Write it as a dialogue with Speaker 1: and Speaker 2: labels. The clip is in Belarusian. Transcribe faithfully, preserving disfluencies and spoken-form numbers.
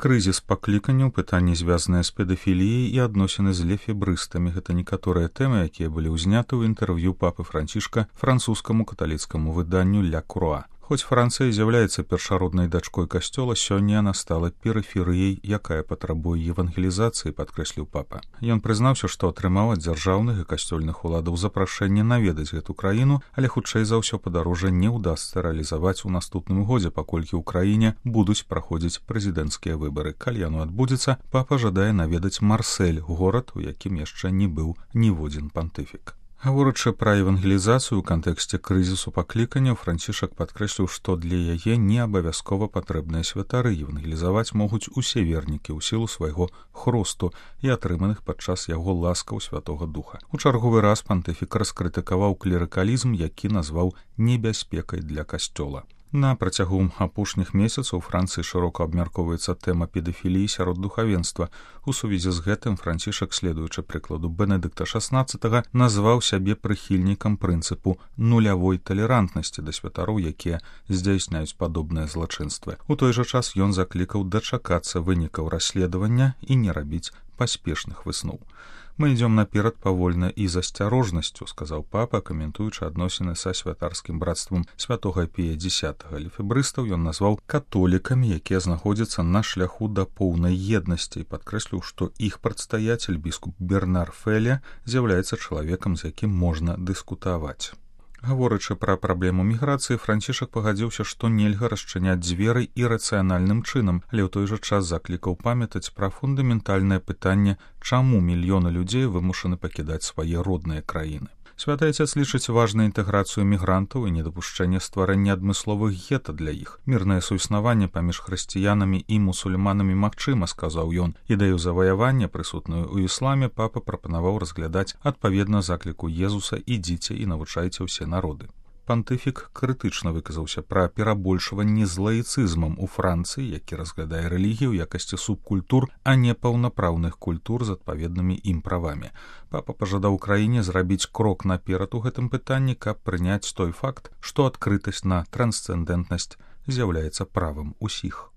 Speaker 1: Крызіс пакліканняў, пытанні, звязаныя з педафіліяй і адносіны з лефебрыстамі. Гэта некаторыя тэмы, якія былі ўзняты ў інтэрв'ю папы Францішка французскаму каталіцкаму выданню «Ля Круа». Хоць Францыя з'яўляецца першароднай дачкой касцёла, сёння яна стала перыферыяй, якая патрабуе евангелізацыі, падкрэсліў папа. Ён прызнаўся, што атрымаў ад дзяржаўных і касцёльных уладаў запрашэнне наведаць гэту краіну, але хутчэй за ўсё падарожжа не ўдасца рэалізаваць у наступным годзе, паколькі ў краіне будуць праходзіць прэзідэнцкія выбары. Калі яно адбудзецца, папа жадае наведаць Марсель, горад, у якім яшчэ не быў ніводзін пантыфік. Гаворачы пра евангелізацыю ў кантэксце крызісу пакліканняў, Францішак падкрэсліў, што для яе не абавязкова патрэбныя святары. Евангелізаваць могуць усе вернікі ў сілу свайго хросту і атрыманых падчас яго ласкаў Святога Духа. У чарговы раз пантыфік раскрытыкаваў клерыкалізм, які назваў небяспекай для касцёла. На працягу апошніх месяцаў у Францыі шырока абмяркоўваецца тэма педафіліі сярод духавенства. У сувязі з гэтым Францішак, следуючы прыкладу Бенедыкта шаснаццатага, назваў сябе прыхільнікам прынцыпу нулявой талерантнасці да святароў, якія здзяйсняюць падобныя злачынствы. У той жа час ён заклікаў дачакацца вынікаў расследавання і не рабіць паспешных высноў. «Мы ідзём наперад павольна і з асцярожнасцю», — сказаў папа, каментуючы адносіны са святарскім братствам святога Пія дзесятага. Лефебрыстаў ён назваў католікамі, якія знаходзяцца на шляху да поўнай еднасці, і падкрэсліў, што іх прадстаяцель, біскуп Бернар Феле, з'яўляецца чалавекам, з якім можна дыскутаваць. Гаворачы пра праблему міграцыі, Францішак пагадзіўся, што нельга расчыняць дзверы ірацыянальным чынам, але ў той жа час заклікаў памятаць пра фундаментальнае пытанне, чаму мільёны людзей вымушаны пакідаць свае родныя краіны. Святы Отец лічыць важнай інтэграцыю мігрантаў і недапушчэнне стварэння адмысловых гета для іх. Мірнае суіснаванне паміж хрысціянамі і мусульманамі магчыма, сказаў ён. Ідэю заваявання, прысутную ў ісламе, папа прапанаваў разглядаць адпаведна закліку Езуса: «Ідзіце і навучайце ўсе народы». Пантыфік крытычна выказаўся пра перабольшванне з лаіцызмам у Францыі, які разглядае рэлігію ў якасці субкультур, а не паўнапраўных культур з адпаведнымі ім правамі. Папа пажадаў краіне зрабіць крок наперад у гэтым пытанні, каб прыняць той факт, што адкрытасць на трансцэндэнтнасць з'яўляецца правам усіх.